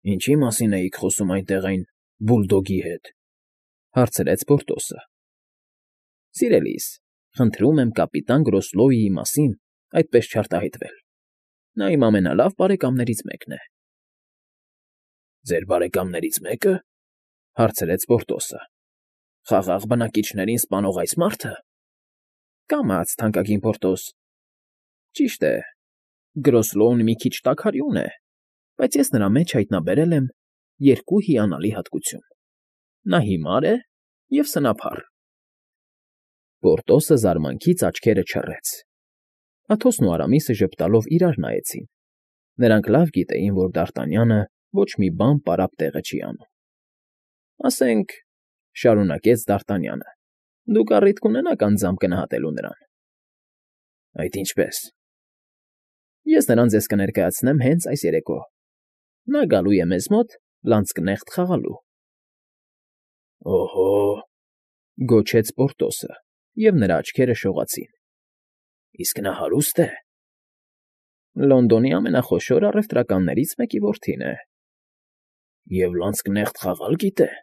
Ինչի՞ մասին էիք խոսում այնտեղ այն բուլդոգի հետ,֊ հարցրեց Պորտոսը։ ֊ Սիրելիս, խնդրում եմ կապիտան Գրոսլոուի մասին այդպես չարտահայտվել. նա իմ ամենալավ բարեկամներից մեկն է։ ֊ Ձեր բարեկամներից մեկը,֊ հարցրեց Պորտոսը։ ֊ Խաղաղ բնակիչներին սպանող այս մարդը։ ֊ Կամաց, թանկագին Պորտոս։ Ճիշտ է, Գրոսլոուն մի քիչ տաքարյուն է, բայց ես նրա մեջ հայտնաբերել եմ երկու հիանալի հատկություն. նա հիմար է և սնափառ։ Պորտոսը զարմանքից աչքերը չռեց։ Աթոսն ու Արամիսը ժպտալով իրար նայեցին. նրանք լավ գիտեին, որ Դարտանյանը ոչ մի բան պարապ տեղը չի անում։ ֊ Ասենք,֊ շարունակեց Դարտանյանը,֊ դուք առիթ կունենաք անձամբ գնահատելու նրան։ ֊ Այդ ինչպե՞ս։ ֊ Ես նրան ձեզ կներկայացնեմ հենց այս երեկո. նա գալու է մեզ մոտ լանցկնեղտ խաղալու։ ֊ Օհո՜,֊ գոչեց Պորտոսը, և նրա աչքերը շողացին։ ֊ Իսկ նա հարուստ է։ ֊ Լոնդոնի ամենախոշոր առևտրականներից մեկի որդին է։ ֊ Եվ լանցկնեղտ խաղալ գիտե։ ֊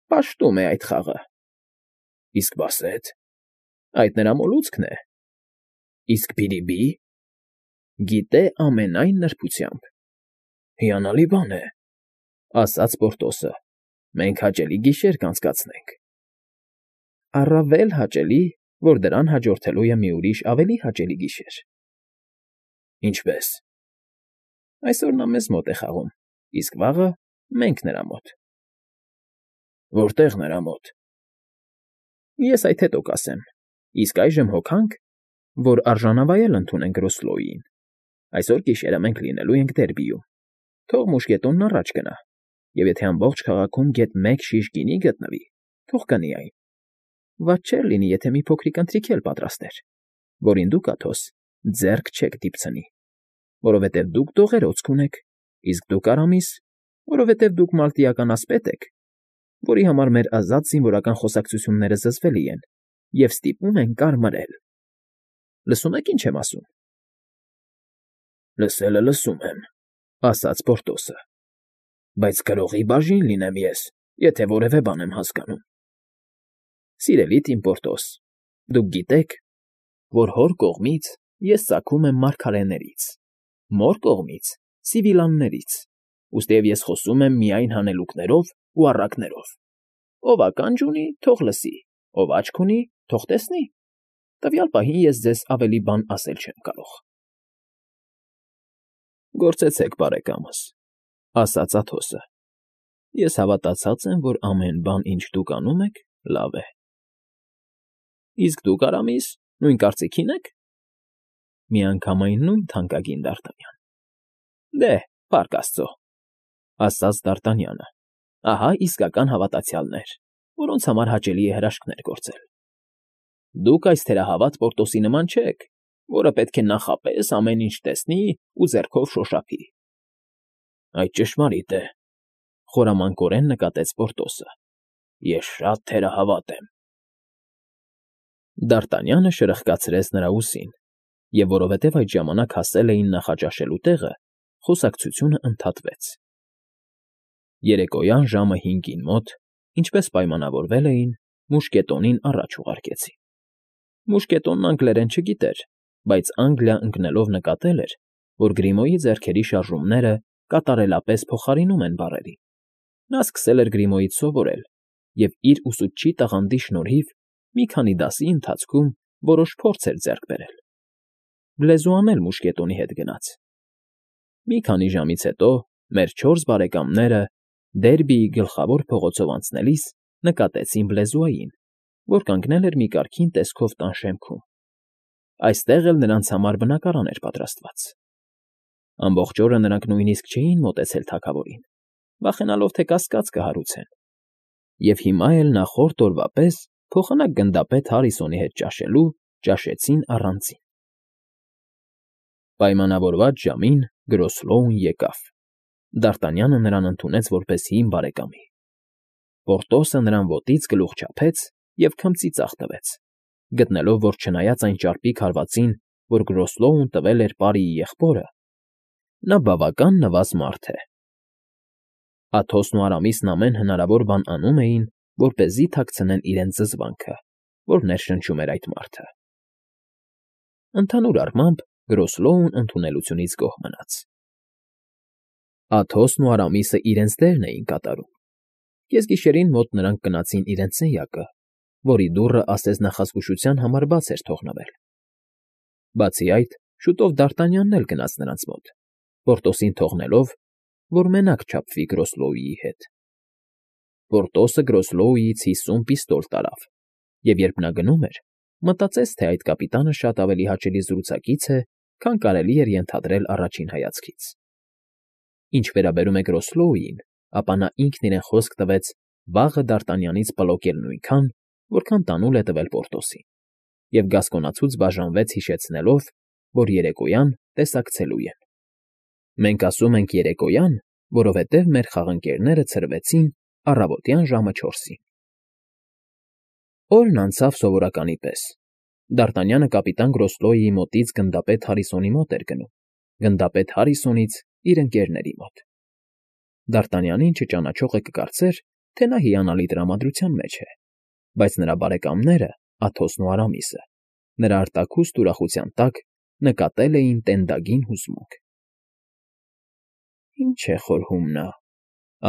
Պաշտում է այդ խաղը։ ֊ Իսկ բասետ։ ֊ Այդ նրա մոլուցքն է։ ֊ Իսկ Բիլիբի։ ֊ Գիտե ամենայն նրբությամբ։ ֊ Հիանալի բան է,֊ ասաց Պորտոսը։ ֊ Մենք հաճելի գիշեր կանցկացնենք։ ֊ Առավել հաճելի, որ դրան հաջորդելու է մի ուրիշ ավելի հաճելի գիշեր։ ֊ Ինչպե՞ս։ ֊ Այսօր նա մեզ մոտ է խաղում, իսկ վաղը մենք նրա մոտ։ ֊ Որտե՞ղ նրա մոտ։ ֊ Ես այդ հետո կասեմ, իսկ այժմ հոգանք, որ արժանավայել ընդունենք Գրոսլոուին. այսօր գիշերը մենք լինելու ենք Դերբիում, թող մուշկետոնն առաջ գնա, և եթե ամբողջ քաղաքում գեթ մեկ շիշ գինի գտնվի, թող կնի այն. վատ չէր լինի, եթե մի փոքրիկ ընթրիք էլ պատրաստեր, որին դուք, Աթոս, ձեռք չեք դիպցնի, որովհետև դուք դողերոց կունեք, իսկ դուք, Արամիս, որովհետև դուք մալտիական ասպետ եք, որի համար մեր ազատ զինվորական խոսակցությունները զզվելի են և ստիպում են կարմրել։ Լսում եք, ինչ եմ ասում։ ֊ Լսելը լսում եմ,֊ ասաց Պորտոսը,֊ բայց գրողի բաժին լինեմ ես, եթե որևէ բան եմ հասկանում։ ֊ Սիրելի թիմ Պորտոս, դուք գիտեք, որ հոր կողմից ես ծագում եմ մարգարեներից, մոր կողմից՝ սիվիլյաններից, ուստիև ես խոսում եմ միայն հանելուկներով ու առակներով. ով ականջ ունի, թող լսի, ով աչք ունի, թող տեսնի։ Տվյալ պահին ես ձեզ ավելի բան ասել չեմ կարող։ ֊ Գործեցեք, բարեկամս,֊ ասաց Աթոսը։ Ես հավատացած եմ, որ ամեն բան, ինչ դուք անում եք, լավ է։ ֊ Իսկ դուք, Արամիս, նույն կարծիքին ե՞ք։ ֊ Միանգամայն նույն, թանկագին Դարտանյան։ ֊ Դե, փառք աստծո,֊ ասաց Դարտանյանը։ Ահա իսկական հավատացյալներ, որոնց համար հաճելի է հրաշքներ գործել։ Դուք այս թերահավատ Պորտոսի նման չեք, որը պետք է նախապես ամեն ինչ տեսնի ու ձեռքով շոշափի։ ֊ Այդ ճշմարիտ է,֊ խորամանկորեն նկատեց Պորտոսը։ Ես շատ թերահավատ եմ։ Դարտանյանը շրխկացրեց նրա ուսին, և որովհետև այդ ժամանակ հասել էին նախաճաշելու տեղը, խոսակցությունը ընդհատվեց։ Երեկոյան ժամը 5-ին մոտ, ինչպես պայմանավորվել էին, մուշկետոնին առաջ ուղարկեցին։ Մուշկետոնն անգլերեն չգիտեր, բայց Անգլիա ընկնելով նկատել էր, որ Գրիմոյի ձեռքերի շարժումները կատարելապես փոխարինում են բառերին։ Նա սկսել էր Գրիմոյից սովորել և իր ուսուցչի տաղանդի շնորհիվ մի քանի դասի ընթացքում որոշ փորձ էր ձեռք բերել։ Լեզուան էլ մուշկետոնի հետ գնաց։ Մի քանի ժամից հետո մեր 4 բարեկամները Դերբիի գլխավոր փողոցով անցնելիս նկատեցին Բլեզուային, որ կանգնել էր մի կարգին տեսքով տան շեմքում։ Այստեղ էլ նրանց համար բնակարան էր պատրաստված։ Ամբողջ օրը նրանք նույնիսկ չէին մոտեցել թագավորին, վախենալով, թե կասկած կհարուցեն, և հիմա էլ նախորդ օրվա պես փոխանակ գնդապետ Հարիսոնի հետ ճաշելու ճաշեցին առանձին։ Պայմանավորված ժամին Գրոսլոուն եկավ։ Դարտանյանը նրան ընդունեց որպես հին բարեկամի։ Պորտոսը նրան ոտից գլուխ չափեց և քմծի ծախ տվեց, գտնելով, որ չնայած այն ճարպիկ հարվածին, որ Գրոսլոուն տվել էր պարիի եղբորը, նա բավական նվազ մարդ է։ Աթոսն ու Արամիսն ամեն հնարավոր բան անում էին, որպեսզի թաքցնեն իրենց զզվանքը, որ ներշնչում էր այդ մարդը։ Ընդհանուր առմամբ Գրոսլոուն ընդունելությունից գոհ մնաց։ Աթոսն ու Արամիսը իրենց դերն էին կատարում։ Կեսգիշերին մոտ նրանք գնացին իրենց սենյակը, որի դուռը ասես նախազգուշության համար բաց էր թողնվել։ Բացի այդ, շուտով Դարտանյանն էլ գնաց նրանց մոտ, Պորտոսին թողնելով, որ մենակ չափվի Գրոսլոուի հետ։ Պորտոսը Գրոսլոուից 50 պիստոլ տարավ, և երբ նա գնում էր, մտածեց, թե այդ կապիտանը շատ ավելի հաճելի զրուցակից է, քան կարելի էր ենթադրել առաջին հայացքից։ Ինչ վերաբերում է Գրոսլոուին, ապա նա ինքն իրեն խոսք տվեց վաղը Դարտանյանից պլոկել նույնքան, որքան տանուլ է տվել Պորտոսին, և գասկոնացուց բաժանվեց հիշեցնելով, որ երեկոյան տեսակցելու են։ Մենք ասում ենք երեկոյան, որովհետև մեր խաղընկերները ցրվեցին առավոտյան ժամը 4-ին։ Օրն անցավ սովորականի պես։ Դարտանյանը կապիտան Գրոսլոուի մոտից գնդապետ Հարիսոնի մոտ էր գնում, գնդապետ Հարիսոնից իր ընկերների մոտ։ Դարտանյանին չճանաչողը կկարծեր, թե նա հիանալի տրամադրության մեջ է, բայց նրա բարեկամները, Աթոսն ու Արամիսը, նրա արտաքուստ ուրախության տակ նկատել էին տենդագին հուզմունք։ «Ինչ է խորհում նա,֊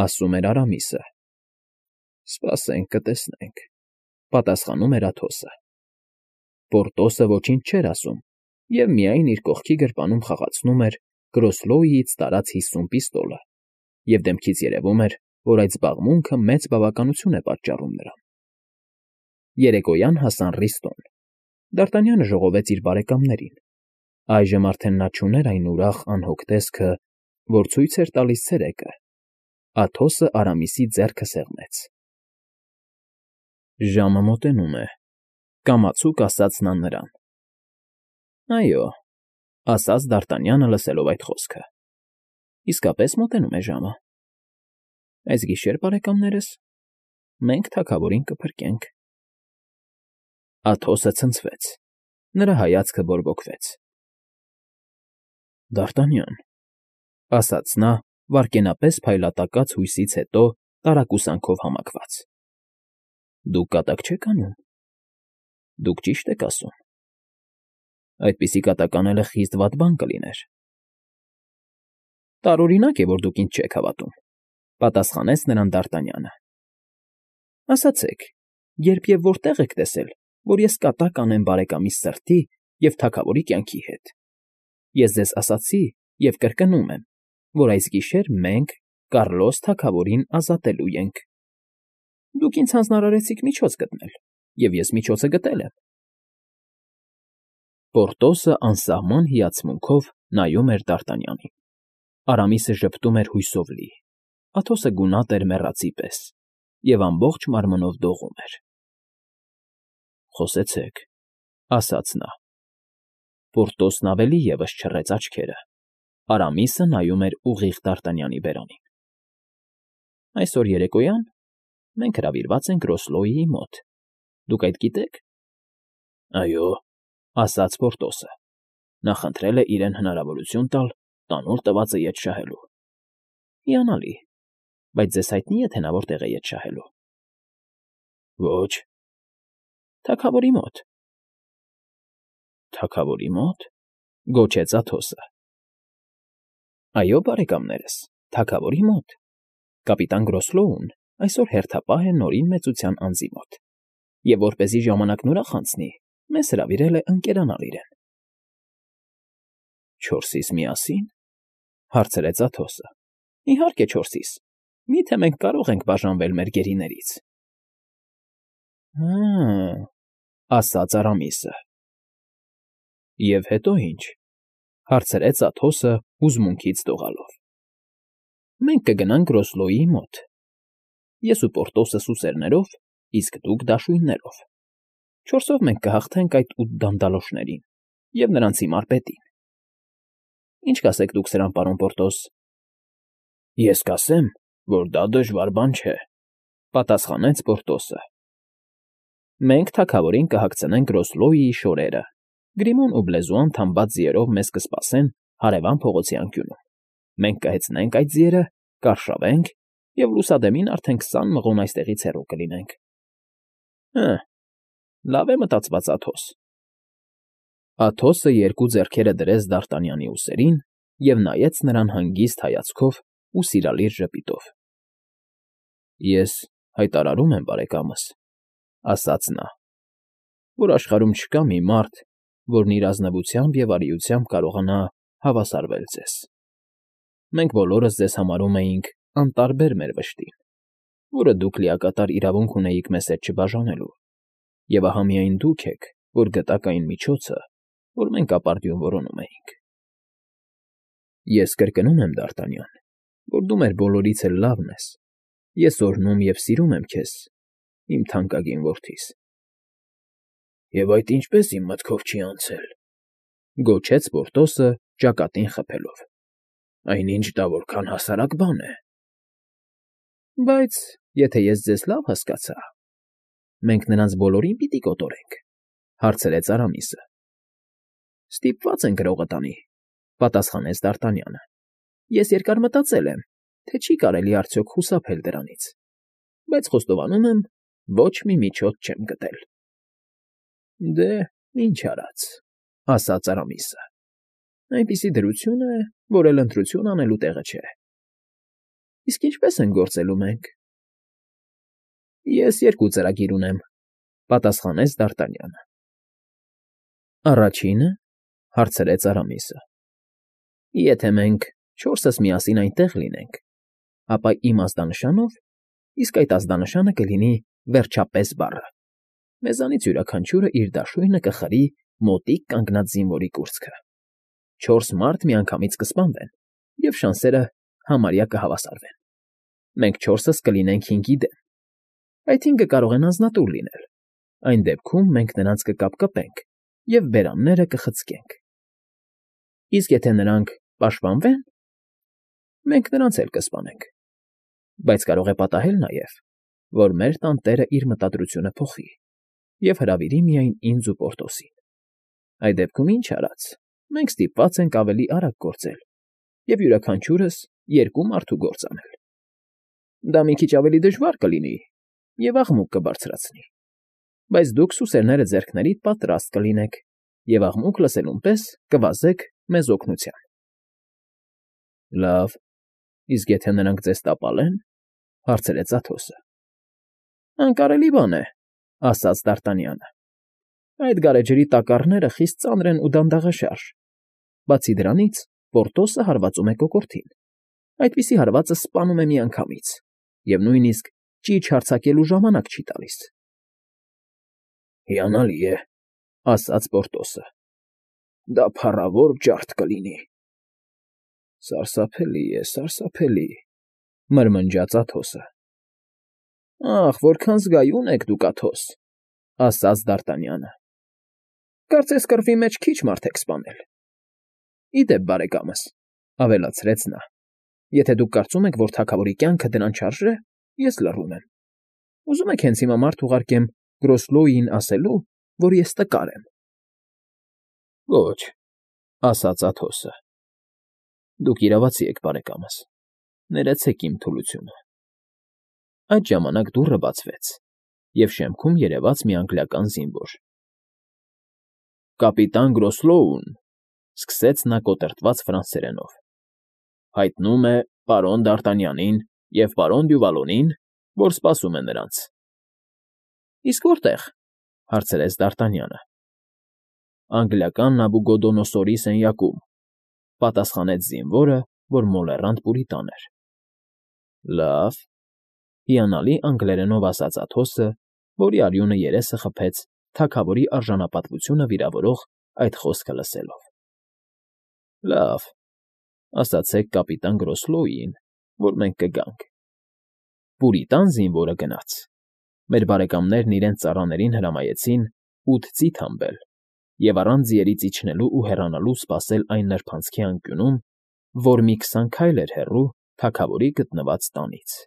ասում էր Արամիսը։ Սպասենք, կտեսնենք,֊ պատասխանում էր Աթոսը։ Պորտոսը ոչինչ չէր ասում և միայն իր կողքի գրպանում խաղացնում էր Գրոսլոուից տարած 50 պիստոլը, և դեմքից երևում էր, որ այդ զբաղմունքը մեծ բավականություն է պատճառում նրան։ Երեկոյան հասան Ռիստոն։ Դարտանյանը ժողովեց իր բարեկամներին։ Այժմ արդեն նա չուներ այն ուրախ անհոգ տեսքը, որ ցույց էր տալիս ցերեկը։ Աթոսը Արամիսի ձեռքը սեղմեց։ Ժամը մոտենում է,֊ կամացուկ ասաց նա նրան։ Այո,֊ ասաց Դարտանյանը, լսելով այդ խոսքը։ Իսկապես մոտենում է ժամը։ Այս գիշեր, բարեկամներս, մենք թագավորին կփրկենք։ Աթոսը ցնցվեց, նրա հայացքը բորբոքվեց։ Դարտանյան,֊ ասաց նա, վայրկենապես փայլատակած հույսից հետո տարակուսանքով համակված։ Դուք կատակ չեք անում։ Դուք ճիշտ եք ասում։ Այդպիսի կատակ անելը խիստ վատ բան կլիներ։ Տարօրինակ է, որ դուք ինձ չեք հավատում,֊ պատասխանեց նրան Դարտանյանը։ Ասացեք, երբ և որտեղ եք տեսել, որ ես կատակ անեմ բարեկամիս սրտի և թագավորի կյանքի հետ։ Ես ձեզ ասացի և կրկնում եմ, որ այս գիշեր մենք Կառլոս թագավորին ազատելու ենք։ Դուք ինձ հանձնարարեցիք միջոց գտնել, և ես միջոցը գտել եմ։ Պորտոսը անսահման հիացմունքով նայում էր Դարտանյանին։ Արամիսը ժպտում էր հույսով լի, Աթոսը գունատ էր մեռածի պես և ամբողջ մարմնով դողում էր։ Խոսեցեք,֊ ասաց նա։ Պորտոսն ավելի ևս չռեց աչքերը։ Արամիսը նայում էր ուղիղ Դարտանյանի բերանին։ Այսօր երեկոյան մենք հրավիրված ենք Գրոսլոուի մոտ։ Դուք այդ գիտեք։ Այո,֊ ասաց Պորտոսը։ Նա խնդրել է իրեն հնարավորություն տալ տանուլ տվածը ետ շահելու։ Հիանալի, բայց ձեզ հայտնի է, թե նա որտեղ է ետ շահելու։ Ոչ։ Թագավորի մոտ։ Թագավորի մոտ,֊ գոչեց Աթոսը։ Այո, բարեկամներս, թագավորի մոտ։ Կապիտան Գրոսլոուն այսօր հերթապահ է Նորին մեծության անձի մոտ, և որպեսզի ժամանակն ուրախ անցնի, մեզ հրավիրել է ընկերանալ իրեն։ 4-իս միասի՞ն,֊ հարցրեց Աթոսը։ Իհարկե 4-իս, միթե մենք կարող ենք բաժանվել մեր գերիներից։ Հը՜, ասաց Արամիսը։ Եվ հետո ինչ,֊ հարցրեց Աթոսը հուզմունքից դողալով։ Մենք կգնանք Գրոսլոուի մոտ։ Ես ու Պորտոսը սուսերներով, իսկ դուք դաշույններով։ 4-ով մենք կհաղթենք այդ 8 դանդալոշներին և նրանց հիմար պետին։ Ինչ կասեք դուք սրան, պարոն Պորտոս։ Ես կասեմ, որ դա դժվար բան չէ,֊ պատասխանեց Պորտոսը։ Մենք թագավորին կհագցնենք Գրոսլոուի շորերը, Գրիմոն ու Բլեզուան թամբած ձիերով մեզ կսպասեն հարևան փողոցի անկյունում։ Մենք կհեծնենք այդ ձիերը, կարշավենք և լուսադեմին արդեն 20 մղոն այստեղից հեռու կլինենք։ Հը, լավ է մտածված, Աթոս։ Աթոսը երկու ձեռքերը դրեց Դարտանյանի ուսերին և նայեց նրան հանգիստ հայացքով ու սիրալիր ժպիտով։ Ես հայտարարում եմ, բարեկամս, ասաց նա, որ աշխարհում չկա մի մարդ, որն իր ազնվությամբ և արիությամբ կարողանա հավասարվել ձեզ։ Մենք բոլորս ձեզ համարում էինք անտարբեր մեր վշտին, որը դուք լիակատար իրավունք ունեիք մեզ հետ չբաժանելու, և ահա միայն դուք եք, որ գտաք այն միջոցը, որ մենք ապարդյուն որոնում էինք։ Ես կրկնում եմ, Դարտանյան, որ դու մեր բոլորից էլ լավն ես։ Ես օրհնում և սիրում եմ քեզ, իմ թանկագին որդիս։ Եվ այդ ինչպես իմ մտքով չի անցել,֊ գոչեց Պորտոսը ճակատին խփելով։ Այնինչ դա որքան հասարակ բան է։ Բայց եթե ես ձեզ լավ հասկացա, մենք նրանց բոլորին պիտի կոտորենք,֊ հարցրեց Արամիսը։ Ստիպված են գրողը տանի,֊ պատասխանեց Դարտանյանը։ Ես երկար մտածել եմ, թե չի կարելի արդյոք խուսափել դրանից, բայց խոստովանում եմ, ոչ մի միջոց չեմ գտել։ Դե, ինչ արած,֊ ասաց Արամիսը։ Այնպիսի դրություն է, որ էլ ընտրություն անելու տեղը չէ։ Իսկ ինչպես են գործելու մենք։ Ես երկու ծրագիր ունեմ,֊ պատասխանեց Դարտանյանը։ Առաջինը,֊ հարցրեց Արամիսը։ Եթե մենք չորսս միասին այնտեղ լինենք, ապա իմ ազդանշանով, իսկ այդ ազդանշանը կլինի վերջապես բառը, մեզանից յուրաքանչյուրը իր դաշույնը կխրի մոտիկ կանգնած զինվորի կուրծքը։ 4 մարդ միանգամից կսպանվեն, և շանսերը համարյա կհավասարվեն։ Մենք 4-ս կլինենք 5-ի դեմ։ Այդ 5-ը կարող են անձնատուր լինել։ Այն դեպքում մենք նրանց կկապկպենք և բերանները կխցկենք։ Իսկ եթե նրանք պաշտպանվեն, մենք նրանց էլ կսպանենք։ Բայց կարող է պատահել նաև, որ մեր տանտերը իր մտադրությունը փոխի և հրավիրի միայն ինձ ու Պորտոսին։ Այդ դեպքում ինչ արած, մենք ստիպված ենք ավելի արագ գործել և յուրաքանչյուրս 2 մարդու գործ անել։ Դա մի քիչ ավելի դժվար կլինի և աղմուկ կբարձրացնի, բայց դուք սուսերները ձեռքներիդ պատրաստ կլինեք և աղմուկ լսելուն պես կվազեք մեզ օգնության։ Լավ, իսկ եթե նրանք ձեզ տապալեն,֊ հարցրեց Աթոսը։ Անկարելի բան է,֊ ասաց Դարտանյանը։ Այդ գարեջրի տակառները խիստ ծանր են ու դանդաղաշարժ։ Բացի դրանից, Պորտոսը հարվածում է կոկորդին։ Այդպիսի հարվածը սպանում է միանգամից և նույնիսկ ճիչ հարձակելու ժամանակ չի տալիս։ Հիանալի է,֊ ասաց Պորտոսը։ Դա փառավոր ջարդ կլինի։ Սարսափելի է, սարսափելի,֊ մրմնջաց Աթոսը։ Ախ, որքան զգայուն եք դուք, Աթոս,֊ ասաց Դարտանյանը։ Կարծես կռվի մեջ քիչ մարդ եք սպանել։ Ի դեպ, բարեկամս,֊ ավելացրեց նա, եթե դուք կարծում եք, որ թագավորի կյանքը դրան չարժե, ես լռում եմ։ Ուզում եք հենց հիմա մարդ ուղարկեմ Գրոսլոուին ասելու, որ ես տկար եմ։ Ոչ,֊ ասաց Աթոսը։ Դուք իրավացի եք, բարեկամս, ներեցեք իմ թուլությունը։ Այդ ժամանակ դուռը բացվեց, և շեմքում երևաց մի անգլիական զինվոր։ Կապիտան Գրոսլոուն,֊ սկսեց նա կոտրտված ֆրանսերենով,֊ հայտնում է պարոն Դարտանյանին և պարոն Դյուվալոնին, որ սպասում է նրանց։ Իսկ որտե՞ղ,֊ հարցրեց Դարտանյանը։ Անգլիական Նաբուգոդոնոսորի սենյակում,֊ պատասխանեց զինվորը, որ մոլեռանդ պուրիտան էր։ Լավ,֊ հիանալի անգլերենով ասաց Աթոսը, որի արյունը երեսը խփեց թագավորի արժանապատվությունը վիրավորող այդ խոսքը լսելով։ Լավ, ասացեք կապիտան Գրոսլոուին, որ մենք կգանք։ Պուրիտան զինվորը գնաց։ Մեր բարեկամներն իրենց ծառաներին հրամայեցին 8 ծիթ հանվել և առանց ձիերից իջնելու ու հեռանալու սպասել այն նրբանցքի անկյունում, որ մի 20 քայլ էր հեռու թագավորի գտնված տանից։